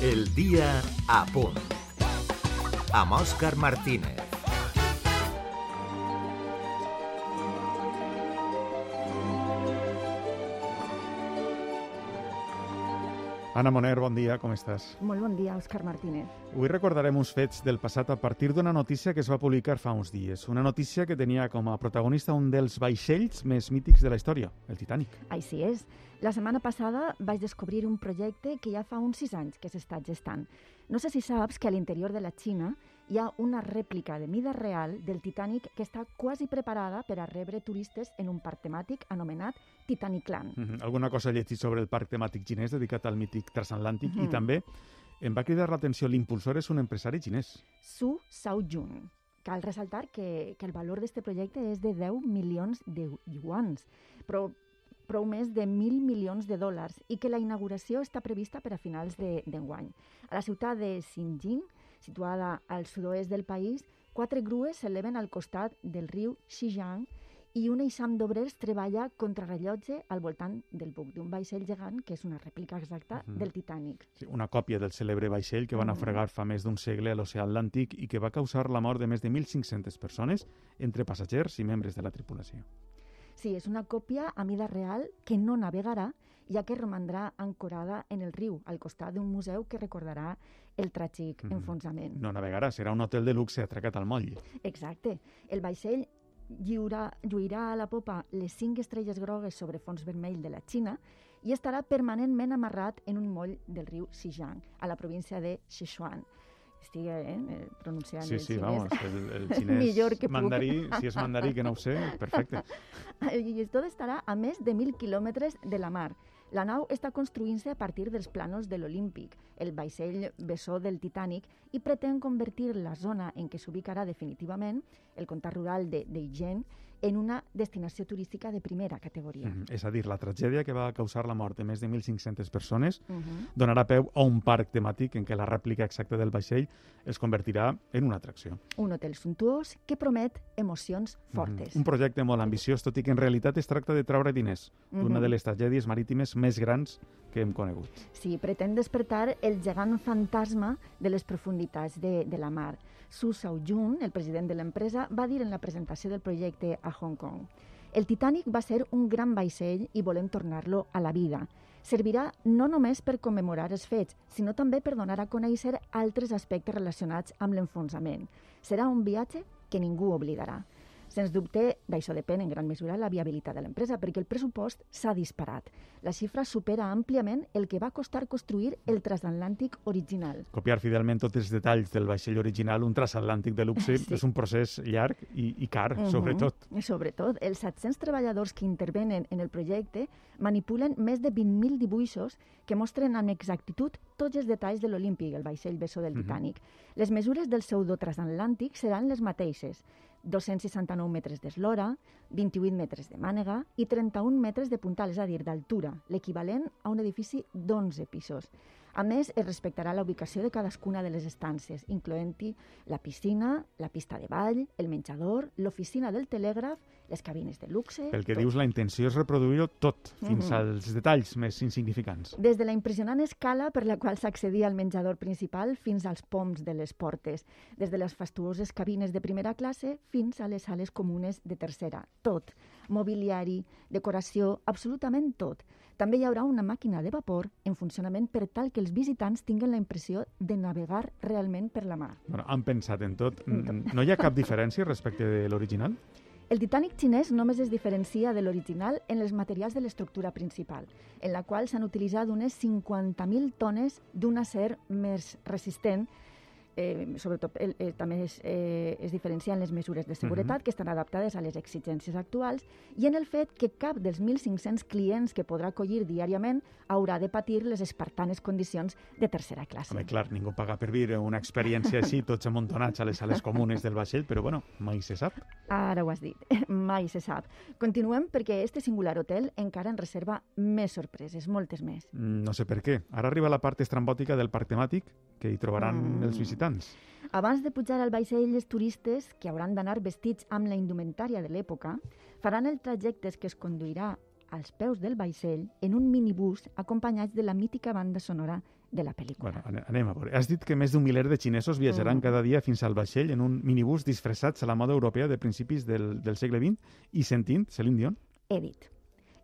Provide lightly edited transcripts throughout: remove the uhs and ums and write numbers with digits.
El dia a punt. Amb Òscar Martínez. Anna Moner, bon dia, com estàs? Molt bon dia, Òscar Martínez. Avui recordarem uns fets del passat a partir d'una notícia que es va publicar fa uns dies. Una notícia que tenia com a protagonista un dels vaixells més mítics de la història, el Titanic. Així és. La setmana passada vaig descobrir un projecte que ja fa uns 6 anys que s'està gestant. No sé si saps que a l'interior de la Xina hi ha una rèplica de mida real del Titanic que està quasi preparada per a rebre turistes en un parc temàtic anomenat Titanicland. Alguna cosa he llegit sobre el parc temàtic xinès dedicat al mític transatlàntic i també em va cridar l'atenció, l'impulsor és un empresari xinès. Su Shaojun. Cal ressaltar que el valor d'aquest projecte és de 10 milions de yuans, però prou més de 1.000 milions de dòlars i que la inauguració està prevista per a finals d'enguany. A la ciutat de Xinjiang, situada al sud-oest del país, 4 grues s'eleven al costat del riu Xizang i un eixam d'obrers treballa contrarrellotge al voltant del buc d'un vaixell gegant que és una rèplica exacta del Titanic. Sí, una còpia del cèlebre vaixell que va naufragar fa més d'un segle a l'oceà Atlàntic i que va causar la mort de més de 1.500 persones entre passatgers i membres de la tripulació. Sí, és una còpia a mida real que no navegarà, ja que romandrà ancorada en el riu, al costat d'un museu que recordarà el tràgic enfonsament. No navegarà, serà un hotel de luxe atracat al moll. Exacte. El vaixell lluirà a la popa les 5 estrelles grogues sobre fons vermell de la Xina i estarà permanentment amarrat en un moll del riu Xizang, a la província de Sichuan. Estic pronunciant el xinès. Sí, vamos, el xinès millor que mandarí, si és mandarí que no ho sé, perfecte. I tot estarà a més de 1.000 quilòmetres de la mar. La nau està construint-se a partir dels plànols de l'Olímpic, el vaixell bessó del Titanic, i pretén convertir la zona en què s'ubicarà definitivament, el comtat rural d'Agen, en una destinació turística de primera categoria. És a dir, la tragèdia que va causar la mort de més de 1.500 persones donarà peu a un parc temàtic en què la rèplica exacta del vaixell es convertirà en una atracció. Un hotel suntuós que promet emocions fortes. Un projecte molt ambiciós, tot i que en realitat es tracta de treure diners d'una de les tragèdies marítimes més grans que hem conegut. Sí, pretén despertar el gegant fantasma de les profunditats de la mar. Su Shaojun, el president de l'empresa, va dir en la presentació del projecte a Hong Kong: el Titanic va ser un gran vaixell i volem tornar-lo a la vida. Servirà no només per commemorar els fets, sinó també per donar a conèixer altres aspectes relacionats amb l'enfonsament. Serà un viatge que ningú oblidarà. Sens dubte, d'això depèn en gran mesura la viabilitat de l'empresa, perquè el pressupost s'ha disparat. La xifra supera àmpliament el que va costar construir el transatlàntic original. Copiar fidelment tots els detalls del vaixell original, un transatlàntic de luxe, és un procés llarg i car, sobretot. Sobretot, els 700 treballadors que intervenen en el projecte manipulen més de 20.000 dibuixos que mostren amb exactitud tots els detalls de l'Olímpic, el vaixell bessó del Titanic. Les mesures del pseudo-transatlàntic seran les mateixes: 269 metres d'eslora, 28 metres de mànega i 31 metres de puntal, és a dir, d'altura, l'equivalent a un edifici d'11 pisos. A més, es respectarà la ubicació de cadascuna de les estances, incloent-hi la piscina, la pista de ball, el menjador, l'oficina del telègraf, les cabines de luxe... Pel que dius, la intenció és reproduir-ho tot, fins als detalls més insignificants. Des de la impressionant escala per la qual s'accedia al menjador principal fins als poms de les portes, des de les fastuoses cabines de primera classe fins a les sales comunes de tercera. Tot. Mobiliari, decoració, absolutament tot. També hi haurà una màquina de vapor en funcionament per tal que els visitants tinguin la impressió de navegar realment per la mar. Bueno, han pensat en tot. No hi ha cap diferència respecte de l'original? El Titanic xinès només es diferencia de l'original en els materials de l'estructura principal, en la qual s'han utilitzat unes 50.000 tones d'un acer més resistent. Sobretot també es diferencien les mesures de seguretat que estan adaptades a les exigències actuals i en el fet que cap dels 1.500 clients que podrà acollir diàriament haurà de patir les espartanes condicions de tercera classe. Home, clar, ningú paga per viure una experiència així, tots amuntonats a les sales comunes del vaixell, però bueno, mai se sap. Ara ho has dit, mai se sap. Continuem perquè este singular hotel encara en reserva més sorpreses, moltes més. No sé per què. Ara arriba la part estrambòtica del parc temàtic que hi trobaran els visitants. Abans de pujar al vaixell, els turistes, que hauran d'anar vestits amb la indumentària de l'època, faran el trajecte que es conduirà als peus del vaixell en un minibús acompanyats de la mítica banda sonora de la pel·lícula. Bueno, anem a veure. Has dit que més d'un miler de xinesos viatjaran cada dia fins al vaixell en un minibús disfressats a la moda europea de principis del segle XX i sentint Celine Dion? He dit.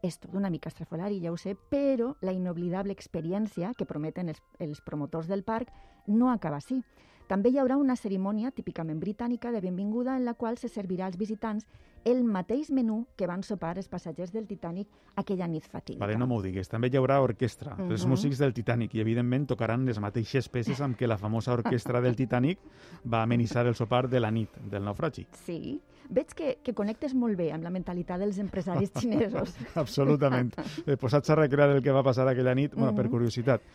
És tot una mica estrafolari, ja ho sé, però la inoblidable experiència que prometen els promotors del parc no acaba així. També hi haurà una cerimònia típicament britànica de benvinguda en la qual se servirà als visitants el mateix menú que van sopar els passatgers del Titanic aquella nit fatídica. Vale, no m'ho digues. També hi haurà orquestra. Els músics del Titanic i, evidentment, tocaran les mateixes peces amb què la famosa orquestra del Titanic va amenitzar el sopar de la nit del naufragi. Sí. Veig que connectes molt bé amb la mentalitat dels empresaris xinesos. Absolutament. Posats a recrear el que va passar aquella nit, bueno, per curiositat,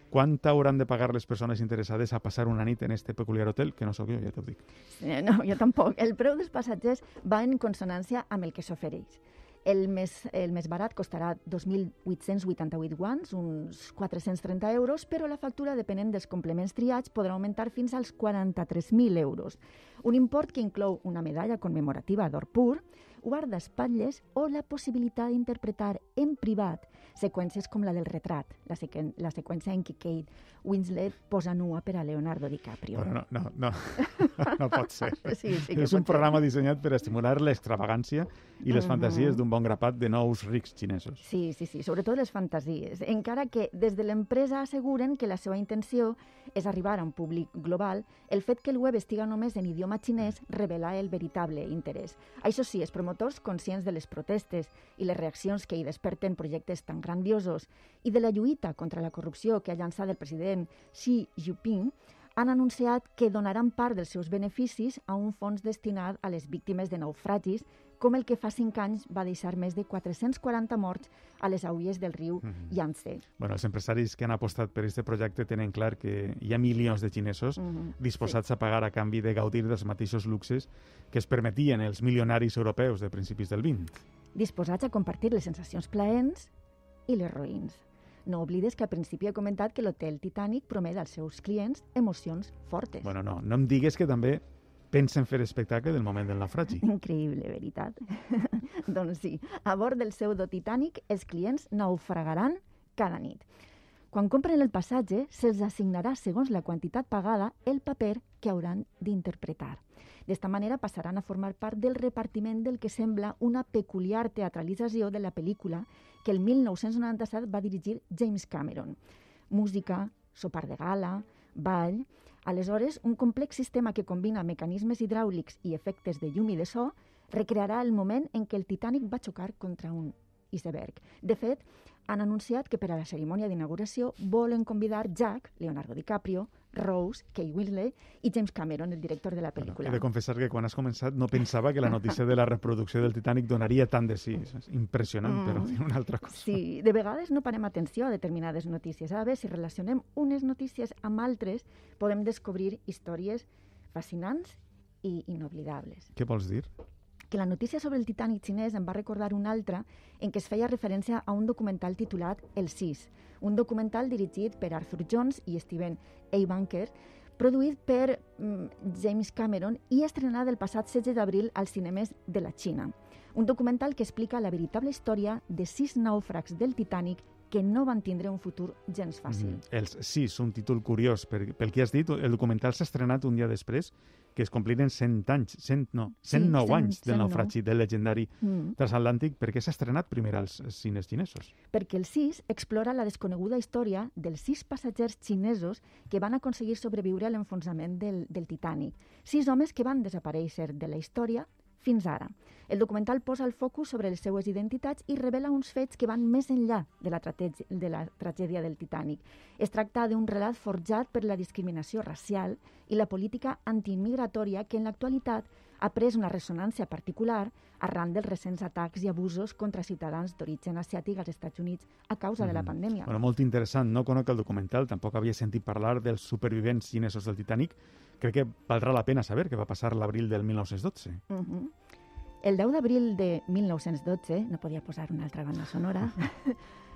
quant hauran de pagar les persones interessades a passar una nit en este peculiar hotel? Que no sóc jo, ja t'ho dic. No, jo tampoc. El preu dels passatgers va en consonància amb el que s'ofereix. El més barat costarà 2.888 guans, uns 430 euros, però la factura, depenent dels complements triats, podrà augmentar fins als 43.000 euros. Un import que inclou una medalla commemorativa d'or pur, guardaespatlles o la possibilitat d'interpretar en privat seqüències com la del retrat, la seqüència en què Kate Winslet posa nua per a Leonardo DiCaprio. Bueno, no pot ser. Sí, és un programa dissenyat per estimular l'extravagància i les fantasies d'un bon grapat de nous rics xinesos. Sí, sobretot les fantasies. Encara que des de l'empresa asseguren que la seva intenció és arribar a un públic global, el fet que el web estiga només en idioma xinès revela el veritable interès. Això sí, els promotors, conscients de les protestes i les reaccions que hi desperten projectes tan grandiosos i de la lluita contra la corrupció que ha llançat el president Xi Jinping, han anunciat que donaran part dels seus beneficis a un fons destinat a les víctimes de naufragis, com el que fa 5 anys va deixar més de 440 morts a les aigües del riu Yangtze. Bueno, els empresaris que han apostat per aquest projecte tenen clar que hi ha milions de xinesos disposats a pagar a canvi de gaudir dels mateixos luxes que es permetien els milionaris europeus de principis del XX. Disposats a compartir les sensacions plaents i les roïns. No oblides que al principi he comentat que l'hotel Titanic promet als seus clients emocions fortes. Bueno, no em digues que també pensen fer espectacle del moment del naufragi. Increïble, veritat? Doncs sí, a bord del pseudo Titanic els clients naufragaran cada nit. Quan compren el passatge, se'ls assignarà, segons la quantitat pagada, el paper que hauran d'interpretar. D'esta manera passaran a formar part del repartiment del que sembla una peculiar teatralització de la pel·lícula que el 1997 va dirigir James Cameron. Música, sopar de gala, ball... Aleshores, un complex sistema que combina mecanismes hidràulics i efectes de llum i de so recrearà el moment en què el Titanic va xocar contra un iceberg. De fet, han anunciat que per a la cerimònia d'inauguració volen convidar Jack, Leonardo DiCaprio, Rose, Kate Winslet i James Cameron, el director de la pel·lícula. He de confessar que quan has començat no pensava que la notícia de la reproducció del Titanic donaria tant de sí. És impressionant, però dir una altra cosa. Sí, de vegades no parem atenció a determinades notícies. A veure, si relacionem unes notícies amb altres, podem descobrir històries fascinants i inoblidables. Què vols dir? Que la notícia sobre el Titanic xinès em va recordar una altra en què es feia referència a un documental titulat El Sis, un documental dirigit per Arthur Jones i Steven A. Bunker, produït per James Cameron i estrenat el passat 16 d'abril als cinemes de la Xina. Un documental que explica la veritable història de 6 nàufrags del Titanic que no van tindre un futur gens fàcil. Els 6, un títol curiós. Pel que has dit, el documental s'ha estrenat un dia després que es compliren 109 anys del naufragi del legendari transatlàntic. Per què s'ha estrenat primer als cines xinesos? Perquè el 6 explora la desconeguda història dels 6 passatgers xinesos que van aconseguir sobreviure a l'enfonsament del Titanic. 6 homes que van desaparèixer de la història fins ara. El documental posa el focus sobre les seues identitats i revela uns fets que van més enllà de la tragèdia del Titanic. Es tracta d'un relat forjat per la discriminació racial i la política antiimmigratòria que en l'actualitat ha pres una ressonància particular arran dels recents atacs i abusos contra ciutadans d'origen asiàtic als Estats Units a causa de la pandèmia. Bueno, molt interessant. No conec el documental, tampoc havia sentit parlar dels supervivents xinesos del Titanic. Crec que valdrà la pena saber què va passar l'abril del 1912. El 10 d'abril de 1912, no podia posar una altra banda sonora,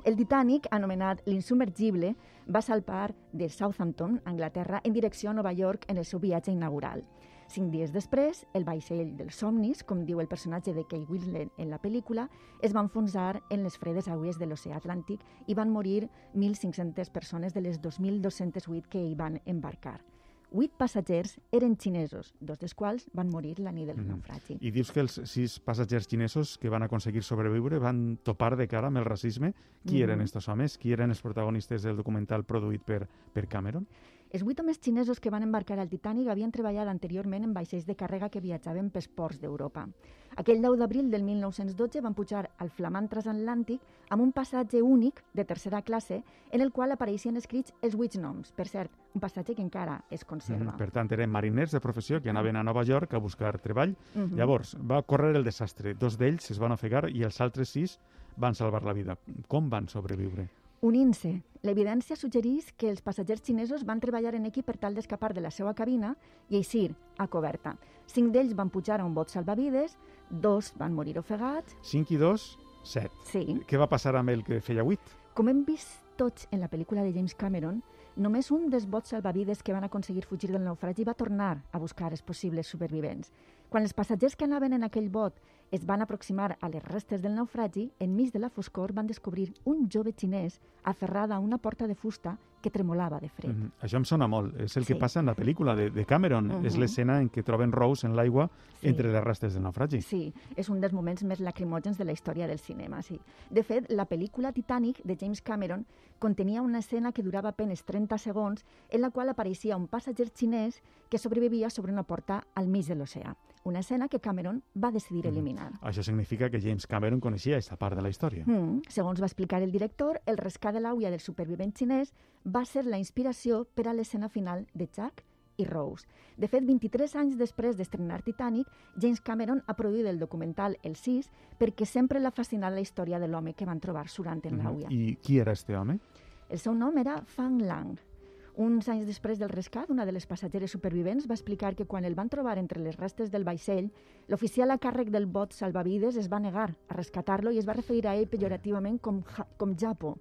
el Titanic, anomenat l'Insubmergible, va salpar de Southampton, Anglaterra, en direcció a Nova York en el seu viatge inaugural. 5 dies després, el vaixell dels somnis, com diu el personatge de Kate Winslet en la pel·lícula, es va enfonsar en les fredes aigües de l'oceà Atlàntic i van morir 1.500 persones de les 2.208 que hi van embarcar. 8 passatgers eren xinesos, 2 dels quals van morir la nit del naufragi. I dius que els 6 passatgers xinesos que van aconseguir sobreviure van topar de cara amb el racisme. Qui eren estos homes? Qui eren els protagonistes del documental produït per Cameron? Els 8 homes xinesos que van embarcar al Titanic havien treballat anteriorment en vaixells de càrrega que viatjaven pels ports d'Europa. Aquell 10 d'abril del 1912 van pujar al flamant transatlàntic amb un passatge únic de tercera classe en el qual apareixien escrits els 8 noms. Per cert, un passatge que encara es conserva. Per tant, eren mariners de professió que anaven a Nova York a buscar treball. Llavors, va córrer el desastre. 2 d'ells es van ofegar i els altres 6 van salvar la vida. Com van sobreviure? Unint-se. L'evidència suggereix que els passatgers xinesos van treballar en equip per tal d'escapar de la seva cabina i eixir a coberta. 5 d'ells van pujar a un bot salvavides, 2 van morir ofegats. 5 i 2, 7. Sí. Què va passar amb el que feia 8? Com hem vist tots en la pel·lícula de James Cameron, només un dels bots salvavides que van aconseguir fugir del naufragi va tornar a buscar els possibles supervivents. Quan els passatgers que anaven en aquell bot es van aproximar a les restes del naufragi, enmig de la foscor van descobrir un jove xinès aferrada a una porta de fusta que tremolava de fred. Això em sona molt. És el que passa en la pel·lícula de Cameron. És l'escena en què troben Rose en l'aigua entre les restes del naufragi. Sí, és un dels moments més lacrimògens de la història del cinema, sí. De fet, la pel·lícula Titanic de James Cameron contenia una escena que durava apenas 30 segons en la qual apareixia un passatger xinès que sobrevivia sobre una porta al mig de l'oceà. Una escena que Cameron va decidir eliminar. Això significa que James Cameron coneixia aquesta part de la història. Segons va explicar el director, el rescat de l'àvia del supervivent xinès va ser la inspiració per a l'escena final de Jack i Rose. De fet, 23 anys després d'estrenar Titanic, James Cameron ha produït el documental El 6 perquè sempre l'ha fascinat la història de l'home que van trobar surant en l'àvia. I qui era este home? El seu nom era Fang Lang. Uns anys després del rescat, una de les passatgeres supervivents va explicar que quan el van trobar entre les restes del vaixell, l'oficial a càrrec del bot salvavides es va negar a rescatar-lo i es va referir a ell pejorativament com Japo.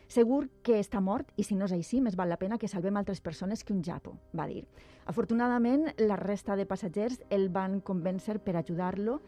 Segur que està mort i si no és així, més val la pena que salvem altres persones que un Japo, va dir. Afortunadament, la resta de passatgers el van convèncer per ajudar-lo,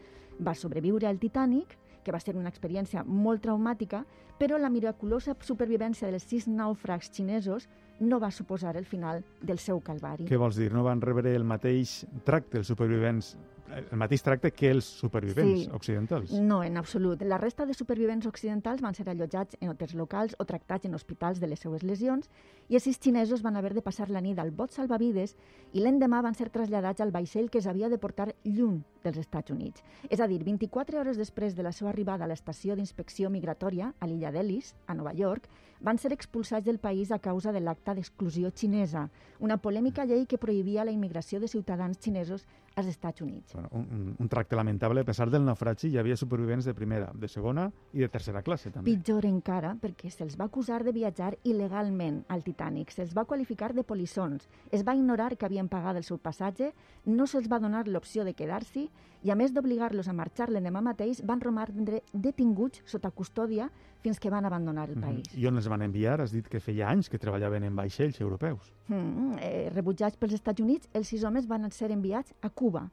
va sobreviure al Titanic, que va ser una experiència molt traumàtica, però la miraculosa supervivència dels 6 nàufrags xinesos no va suposar el final del seu calvari. Què vols dir? No van rebre el mateix tracte els supervivents, el mateix tracte que els supervivents occidentals? No, en absolut. La resta de supervivents occidentals van ser allotjats en hotels locals o tractats en hospitals de les seues lesions i els 6 xinesos van haver de passar la nit al bot salvavides i l'endemà van ser traslladats al vaixell que s'havia de portar lluny dels Estats Units. És a dir, 24 hores després de la seva arribada a l'estació d'inspecció migratòria a l'illa d'Ellis, a Nova York, van ser expulsats del país a causa de l'acta d'exclusió xinesa, una polèmica llei que prohibia la immigració de ciutadans xinesos als Estats Units. Bueno, un tracte lamentable. A pesar del naufragi, hi havia supervivents de primera, de segona i de tercera classe, també. Pitjor encara, perquè se'ls va acusar de viatjar il·legalment al Titanic, se'ls va qualificar de polissons, es va ignorar que havien pagat el seu passatge, no se'ls va donar l'opció de quedar-s'hi i, a més d'obligar-los a marxar l'endemà mateix, van romandre detinguts sota custòdia fins que van abandonar el país. I on els van enviar? Has dit que feia anys que treballaven en vaixells europeus. Rebutjats pels Estats Units, els 6 homes van ser enviats a Cuba.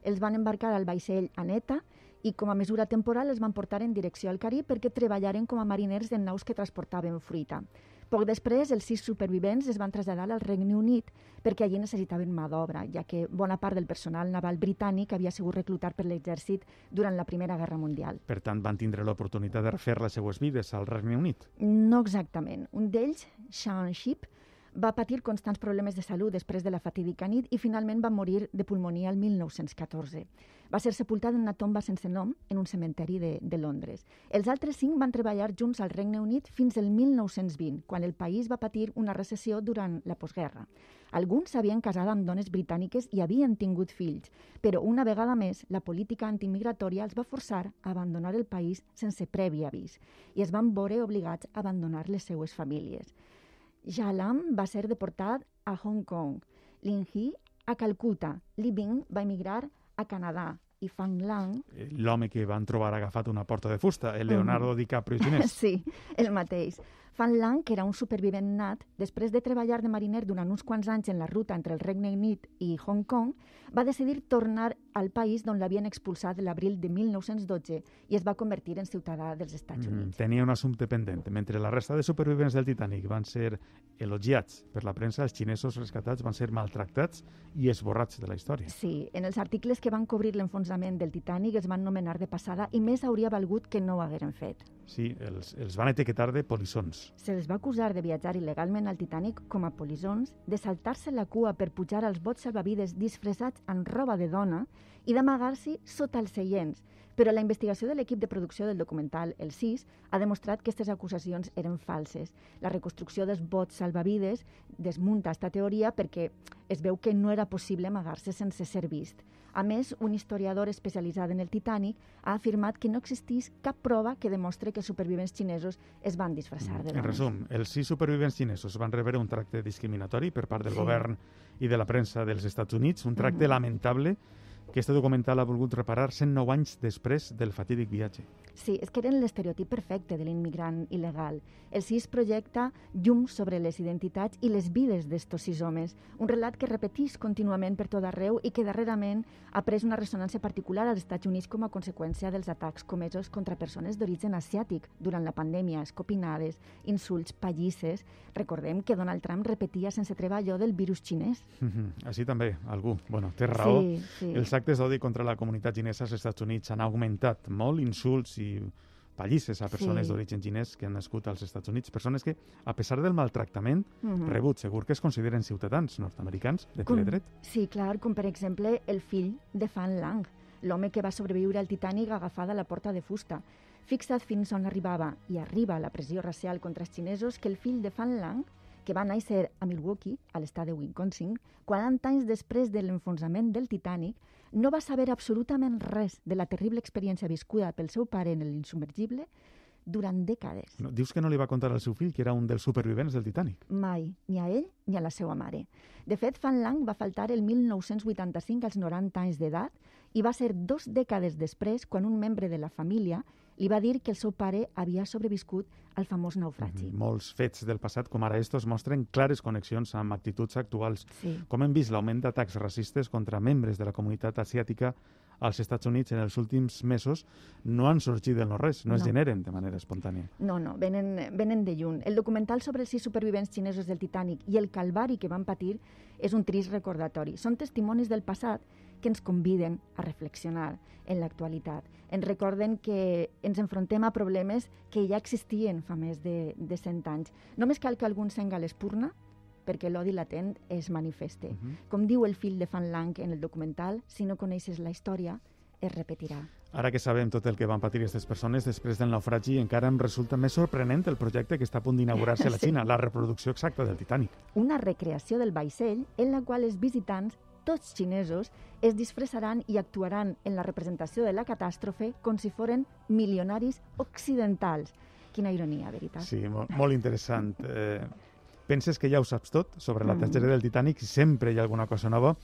Els van embarcar al vaixell Aneta i com a mesura temporal els van portar en direcció al Carib perquè treballaren com a mariners en naus que transportaven fruita. Poc després, els 6 supervivents es van traslladar al Regne Unit perquè allí necessitaven mà d'obra, ja que bona part del personal naval britànic havia sigut reclutat per l'exèrcit durant la Primera Guerra Mundial. Per tant, van tindre l'oportunitat de refer les seues vides al Regne Unit? No exactament. Un d'ells, Sean Shipp, va patir constants problemes de salut després de la fatídica nit i finalment va morir de pulmonia el 1914. Va ser sepultat en una tomba sense nom en un cementeri de Londres. Els altres 5 van treballar junts al Regne Unit fins al 1920, quan el país va patir una recessió durant la postguerra. Alguns s'havien casat amb dones britàniques i havien tingut fills, però una vegada més la política antimigratòria els va forçar a abandonar el país sense previ avís i es van veure obligats a abandonar les seues famílies. Jalam va ser deportat a Hong Kong, Lin He a Calcuta, Li Bing va emigrar a Canadà i Fang Lang... L'home que van trobar agafat una porta de fusta, el Leonardo DiCaprio xinès. Sí, el mateix. Fan Lang, que era un supervivent nat, després de treballar de mariner durant uns quants anys en la ruta entre el Regne Unit i Hong Kong, va decidir tornar al país d'on l'havien expulsat l'abril de 1912 i es va convertir en ciutadà dels Estats Units. Tenia un assumpte pendent. Mentre la resta de supervivents del Titanic van ser elogiats per la premsa, els xinesos rescatats van ser maltractats i esborrats de la història. Sí, en els articles que van cobrir l'enfonsament del Titanic els van nomenar de passada i més hauria valgut que no ho hagueren fet. Sí, els van etiquetar de polissons. Se'ls va acusar de viatjar il·legalment al Titanic com a polissons, de saltar-se la cua per pujar als bots salvavides disfressats en roba de dona i d'amagar-s'hi sota els seients. Però la investigació de l'equip de producció del documental El 6 ha demostrat que aquestes acusacions eren falses. La reconstrucció dels bots salvavides desmunta aquesta teoria perquè es veu que no era possible amagar-se sense ser vist. A més, un historiador especialitzat en el Titanic ha afirmat que no existís cap prova que demostre que els supervivents xinesos es van disfressar de dones. En resum, els 6 supervivents xinesos van rebre un tracte discriminatori per part del govern i de la premsa dels Estats Units, un tracte lamentable que este documental ha volgut reparar 109 anys després del fatídic viatge. Sí, és que eren l'estereotip perfecte de l'immigrant il·legal. El 6 projecta llum sobre les identitats i les vides d'estos 6 homes, un relat que repetís contínuament per tot arreu i que darrerament ha pres una ressonància particular als Estats Units com a conseqüència dels atacs comesos contra persones d'origen asiàtic durant la pandèmia, escopinades, insults, pallisses. Recordem que Donald Trump repetia sense treva allò del virus xinès. Així també, algú. Bueno, té raó. Sí. Els actes d'odi contra la comunitat xinesa als Estats Units han augmentat molt, insults i pallisses a persones d'origen xinès que han nascut als Estats Units, persones que, a pesar del maltractament rebut, segur que es consideren ciutadans nord-americans de ple dret. Sí, clar, com per exemple el fill de Fan Lang, l'home que va sobreviure al Titanic agafada a la porta de fusta. Fixa't fins on arribava i arriba la pressió racial contra els xinesos que el fill de Fan Lang, que va néixer a Milwaukee, a l'estat de Wisconsin, 40 anys després de l'enfonsament del Titanic, no va saber absolutament res de la terrible experiència viscuda pel seu pare en l'insubmergible durant dècades. No, dius que no li va contar al seu fill que era un dels supervivents del Titanic? Mai, ni a ell ni a la seva mare. De fet, Fan Lang va faltar el 1985 als 90 anys d'edat i va ser 2 dècades després quan un membre de la família li va dir que el seu pare havia sobreviscut al famós naufragi. Molts fets del passat, com ara estos, mostren clares connexions amb actituds actuals. Sí. Com hem vist l'augment d'atacs racistes contra membres de la comunitat asiàtica als Estats Units en els últims mesos no han sorgit del no-res, no es generen de manera espontània. No, venen de lluny. El documental sobre els 6 supervivents xinesos del Titanic i el calvari que van patir és un trist recordatori. Són testimonis del passat que ens conviden a reflexionar en l'actualitat. Ens recorden que ens enfrontem a problemes que ja existien fa més de 100 anys. Només cal que algú encenga l'espurna perquè l'odi latent es manifeste. Com diu el fill de Fan Lang en el documental, si no coneixes la història, es repetirà. Ara que sabem tot el que van patir aquestes persones després del naufragi, encara em resulta més sorprenent el projecte que està a punt d'inaugurar-se a la Xina, la reproducció exacta del Titanic. Una recreació del vaixell en la qual els visitants, tots xinesos, es disfressaran i actuaran en la representació de la catàstrofe com si foren milionaris occidentals. Quina ironia, veritat? Sí, molt interessant. Penses que ja ho saps tot sobre la tragèdia del Titanic i sempre hi ha alguna cosa nova.